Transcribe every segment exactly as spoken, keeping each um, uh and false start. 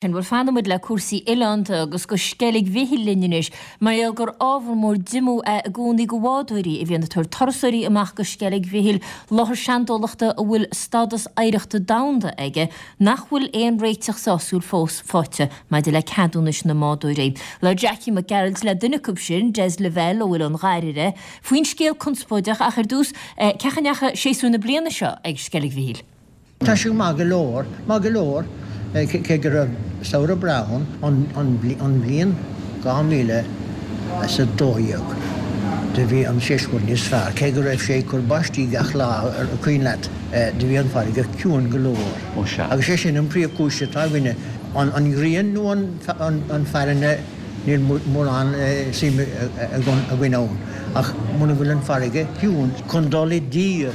Bhuel fanfaidh muid le cúrsaí oileánda agus go Sceilg Mhichíl linn anois, mar gheall gur ábhar mór diomú é i gcónaí go bhádóirí a bhíonn ag tabhairt turasóirí amach go Sceilg Mhichíl, láthair seandálachta a bhfuil stádas oidhreachta domhanda aige, nach bhfuil aon réiteach sásúil fós faighte maidir le ceadúnais na mbádóirí. Labhair Jackie Mac Gearailt le duine acu sin, Des Lavelle ó Oileán Dháirire, faoin scéal conspóideach ach ar dtús, cén chaoi a ndeachaigh séasúr na bliana seo ag Sceilg Mhichíl? Tá sé maith go leor, maith go leor, cé go raibh samhradh breá ann an bhliain dhá mhíle is a dó dhéag. Do bhí an séasúr níos fearr, cé go raibh sé ag cur báistí gach lá, an cuimhin leat, do bhí an farraige ciúin go leor. Ó sea. Agus sé sin an príomhchúis atá againne, an ghrian nó an farraige, níl mórán suime againn ann, ach muna bhfuil an farraige ciúin chun dul i dtír,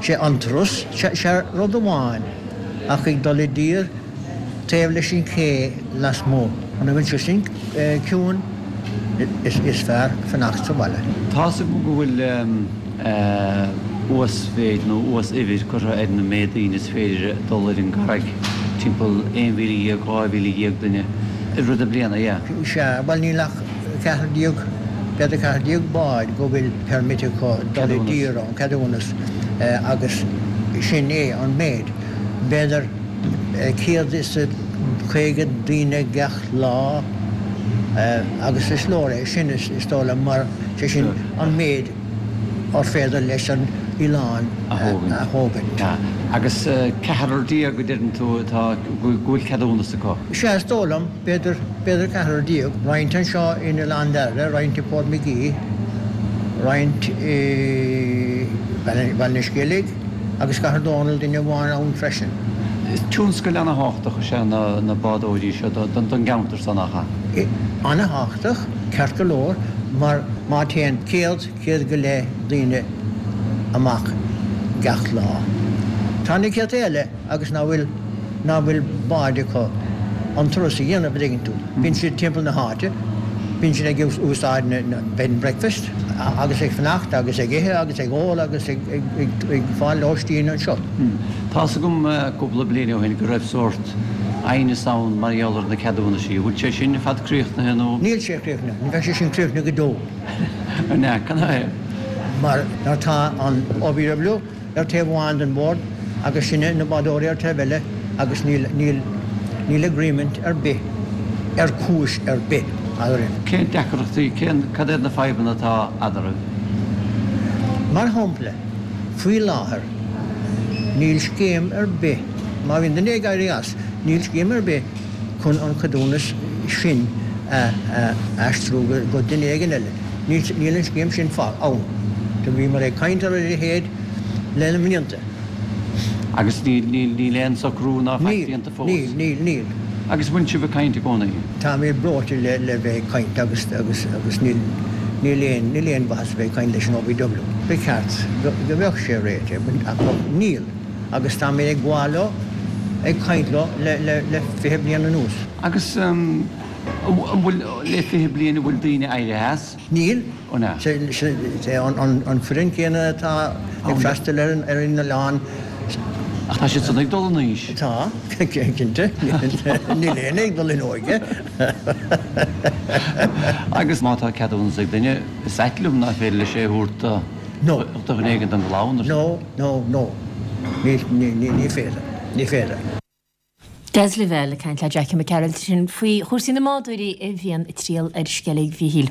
Sé an turas, sé rud amháin, ach ag dul i dtír taobh leis an ché lasmuigh, muna bhfuil sé sin ciúin, is fearr fanacht sa bhaile. Tá's agam go bhfuil uasmhéid nó uas-uimhir curtha ar an méid daoine is féidir dul ar an gcarraig, timpeall aon mhíle dhéag, dhá mhíle dhéag duine i rith na bliana, yeah. Sea, bhuel níl ach ceathrar déag, b'fhéidir ceathrar déag bád go bhfuil permit acu dul i dtír ann, ceadúnas, agus sin é an méid. B'fhéidir céad is caoga daoine gach lá agus is leor é sin is dóigh liom mar sé sin an méid ar féidir leis an oileán a thógaint. Agus ceathrar déag a deireann tú atá, go bhfuil ceadúnas acu? Sea, is dóigh liom. B'fhéidir, b'fhéidir ceathrar déag. Roinnt anseo in Oileán Dháirire, roinnt i Port Magee, roinnt i Baile na Sceilge agus Cathair Dónall, duine amháin ann freisin. Tionscal ana-thábhachtach is ea na bádóirí seo don gceantar so, nach ea? Ana-thábhachtach, ceart go leor, mar má téann céad, céad go leith daoine amach gach lá, tá na céadta eile agus ná bhfuil, ná bhfuil báid acu an turas a dhéanamh, a dtuigeann tú. Bíonn siad timpeall na háite, bíonn siad ag úsáid na bed and breakfast agus ag fanacht agus ag ithe agus ag ól agus ag, ag, ag, ag fáil lóistín anseo. Tá's agam cúpla bliain ó shin go raibh sórt aighneas ann mar gheall ar na ceadúnaisí. An bhfuil sé sin ar fad críochnaithe nó? Níl sé críochnaithe. Ní bheidh sé sin críochnaithe go deo. An ea? Cad é? Mar tá an OVW ar taobh amháin den bhord agus sinne na bádóirí ar taobh eile agus níl, níl, níl agreement ar bith ar chúis ar bith eadrainn. Cén deacrachtaí, cén, cad iad na fadhbanna atá eadraibh? Mar shampla, faoi láthair níl scéim ar bith, má bhíonn duine ag éirí as, níl scéim ar bith chun an ceadúnas sin a aistriú go duine éigin eile. Níl an scéim sin ann. Do bhíomar ag caint ar a leithéid le na mblianta. Agus níl aon socrú ná faic déanta fós? Níl, níl, níl. Agus bhfuil sibh ag caint i gcónaí? Táimid breoite le le bheith ag caint agus agus agus níl níl aon níl aon mhaitheas a bheith ag caint leis an OVW. Ba cheart go mbeadh sé réitithe ach níl agus táimid ag gabháil leo, ag caint leo le le le fiche bliain anuas. Agus an bhfuil, le fiche bliain, an bhfuil daoine éirithe as? Níl. An ea? Sé an foireann céanna atá ag freastal ar an oileán. Ach tá siad san ag dul in aois. Tá, cinnte. Níl éinne ag dul in óige. Agus má tá ceadúnas ag duine, is ait liom nach féidir leis é a thabhairt do dhuine éigin den gclann. No, no, no. Ní féidir. Ní féidir. Des Lavelle ag caint le Jackie Mac Gearailt ansin faoi chúrsaí na mbádóirí a bhíonn ag triall ar Sceilg Mhichíl.